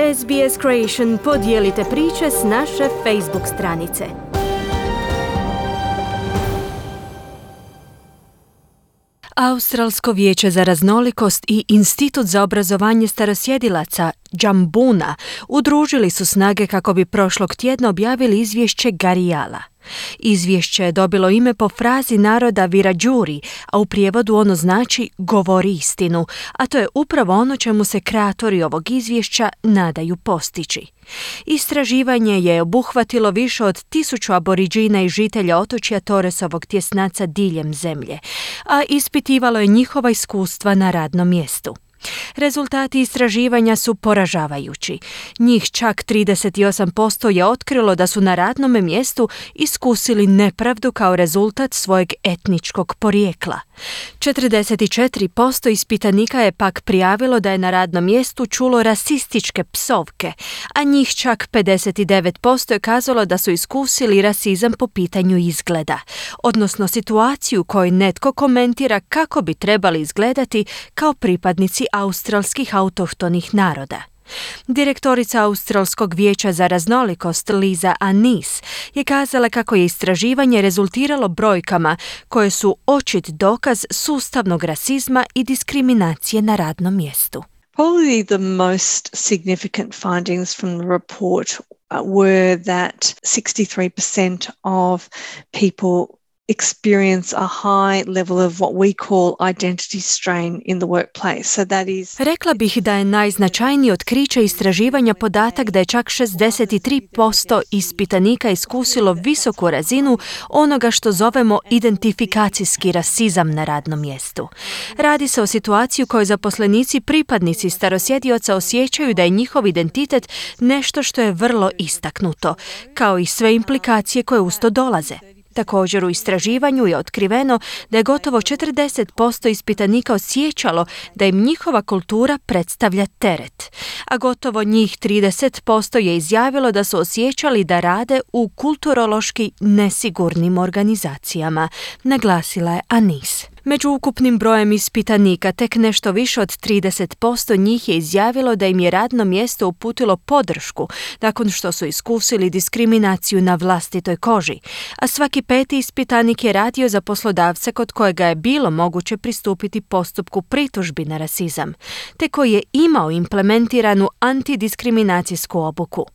SBS Creation, podijelite priče s naše Facebook stranice. Australsko vijeće za raznolikost i Institut za obrazovanje starosjedilaca Džambuna udružili su snage kako bi prošlog tjedna objavili izvješće Garijala. Izvješće je dobilo ime po frazi naroda Wiradjuri, a u prijevodu ono znači govori istinu, a to je upravo ono čemu se kreatori ovog izvješća nadaju postići. Istraživanje je obuhvatilo više od 1000 aboriđina i žitelja otočja Torresovog tjesnaca diljem zemlje, a ispitivalo je njihova iskustva na radnom mjestu. Rezultati istraživanja su poražavajući. Njih čak 38% je otkrilo da su na radnom mjestu iskusili nepravdu kao rezultat svojeg etničkog porijekla. 44% ispitanika je pak prijavilo da je na radnom mjestu čulo rasističke psovke, a njih čak 59% je kazalo da su iskusili rasizam po pitanju izgleda, odnosno situaciju u kojoj netko komentira kako bi trebali izgledati kao pripadnici australskih autohtonih naroda. Direktorica Australskog vijeća za raznolikost Liza Anis je kazala kako je istraživanje rezultiralo brojkama koje su očit dokaz sustavnog rasizma i diskriminacije na radnom mjestu. Probably the most significant findings from the report were that 63% of people experience a high level of what we call identity strain in the workplace. So that is... Rekla bih da je najznačajnije otkriće istraživanja podatak da je čak 63% ispitanika iskusilo visoku razinu onoga što zovemo identifikacijski rasizam na radnom mjestu. Radi se o situaciji u kojoj zaposlenici pripadnici starosjedioca osjećaju da je njihov identitet nešto što je vrlo istaknuto, kao i sve implikacije koje uz to dolaze. Također u istraživanju je otkriveno da je gotovo 40% ispitanika osjećalo da im njihova kultura predstavlja teret, a gotovo njih 30% je izjavilo da su osjećali da rade u kulturološki nesigurnim organizacijama, naglasila je Anis. Među ukupnim brojem ispitanika tek nešto više od 30% njih je izjavilo da im je radno mjesto uputilo podršku nakon što su iskusili diskriminaciju na vlastitoj koži, a svaki 5. ispitanik je radio za poslodavca kod kojega je bilo moguće pristupiti postupku pritužbi na rasizam, te koji je imao implementiranu antidiskriminacijsku obuku.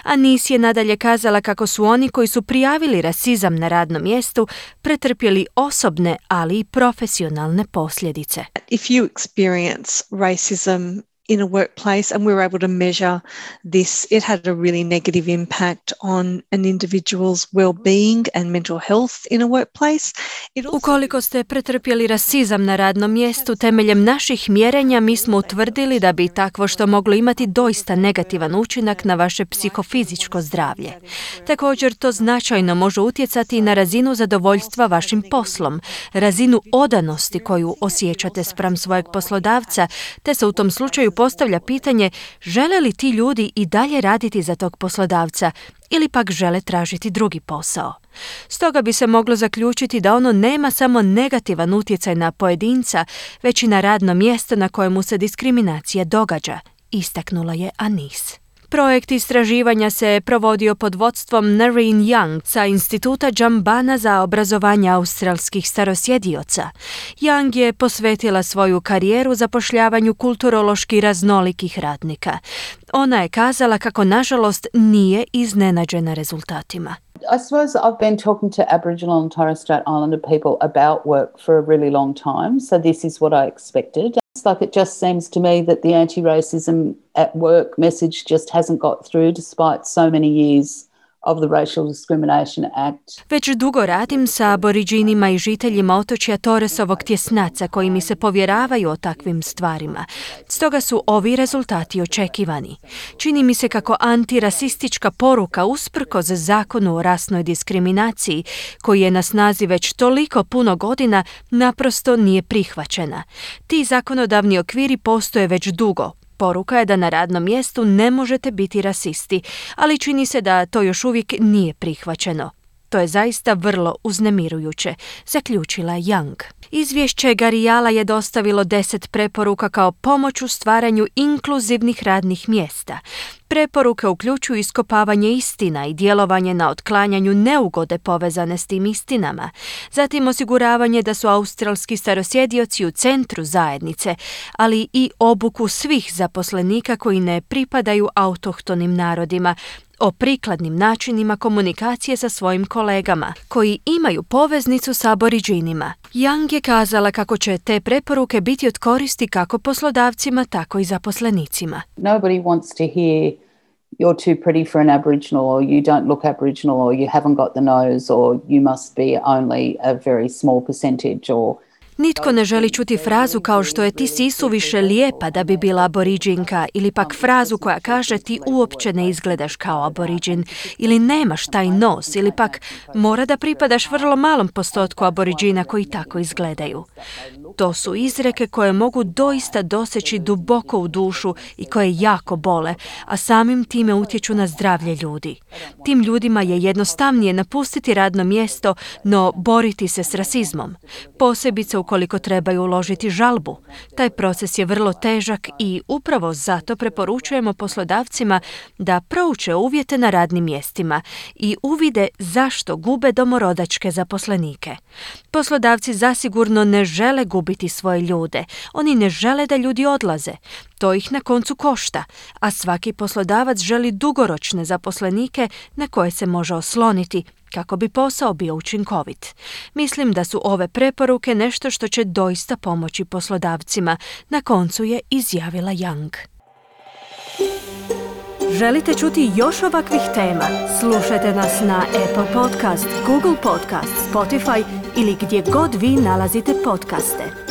Anis je nadalje kazala kako su oni koji su prijavili rasizam na radnom mjestu pretrpjeli osobne, ali i profesionalne posljedice. If you experience racism in a workplace and we're able to measure this, it had a really negative impact on an individual's well-being and mental health in a workplace. Ukoliko ste pretrpjeli rasizam na radnom mjestu, temeljem naših mjerenja mi smo utvrdili da bi takvo što moglo imati doista negativan učinak na vaše psihofizičko zdravlje. Također to značajno može utjecati na razinu zadovoljstva vašim poslom, razinu odanosti koju osjećate spram svojeg poslodavca, te se u tom slučaju postavlja pitanje žele li ti ljudi i dalje raditi za tog poslodavca ili pak žele tražiti drugi posao. Stoga bi se moglo zaključiti da ono nema samo negativan utjecaj na pojedinca, već i na radno mjesto na kojemu se diskriminacija događa, istaknula je Anis. Projekt istraživanja se provodio pod vodstvom Narine Young sa Instituta Džambana za obrazovanje australskih starosjedioca. Young je posvetila svoju karijeru zapošljavanju kulturološki raznolikih radnika. Ona je kazala kako nažalost nije iznenađena rezultatima. I suppose I've been talking to Aboriginal and Torres Strait Islander people about work for a really long time, so this is what I expected. It's like it just seems to me that the anti-racism at work message just hasn't got through despite so many years of the Racial Discrimination Act. Već dugo radim sa aboriđinima i žiteljima otočja Torresovog tjesnaca koji mi se povjeravaju o takvim stvarima. Stoga su ovi rezultati očekivani. Čini mi se kako antirasistička poruka usprkos zakonu o rasnoj diskriminaciji, koji je na snazi već toliko puno godina, naprosto nije prihvaćena. Ti zakonodavni okviri postoje već dugo. Poruka je da na radnom mjestu ne možete biti rasisti, ali čini se da to još uvijek nije prihvaćeno. To je zaista vrlo uznemirujuće, zaključila je Young. Izvješće Garijala je dostavilo 10 preporuka kao pomoć u stvaranju inkluzivnih radnih mjesta. Preporuke uključuju iskopavanje istina i djelovanje na otklanjanju neugode povezane s tim istinama, zatim osiguravanje da su australski starosjedioci u centru zajednice, ali i obuku svih zaposlenika koji ne pripadaju autohtonim narodima, o prikladnim načinima komunikacije sa svojim kolegama, koji imaju poveznicu s Aboriđinima. Young je kazala kako će te preporuke biti od koristi kako poslodavcima, tako i zaposlenicima. Nobody wants to hear you're too pretty for an Aboriginal, or you don't look Aboriginal, or you haven't got the nose, or you must be only a very small percentage, or Nitko ne želi čuti frazu kao što je ti si isuviše lijepa da bi bila aboriđinka, ili pak frazu koja kaže ti uopće ne izgledaš kao aboriđin, ili nemaš taj nos, ili pak mora da pripadaš vrlo malom postotku aboriđina koji tako izgledaju. To su izreke koje mogu doista doseći duboko u dušu i koje jako bole, a samim time utječu na zdravlje ljudi. Tim ljudima je jednostavnije napustiti radno mjesto, no boriti se s rasizmom. Posebice ukoliko trebaju uložiti žalbu. Taj proces je vrlo težak i upravo zato preporučujemo poslodavcima da prouče uvjete na radnim mjestima i uvide zašto gube domorodačke zaposlenike. Poslodavci zasigurno ne žele gubiti svoje ljude. Oni ne žele da ljudi odlaze. To ih na koncu košta, a svaki poslodavac želi dugoročne zaposlenike na koje se može osloniti kako bi posao bio učinkovit. Mislim da su ove preporuke nešto što će doista pomoći poslodavcima, na koncu je izjavila Young. Želite čuti još ovakvih tema? Slušajte nas na Apple Podcast, Google Podcast, Spotify ili gdje god vi nalazite podcaste.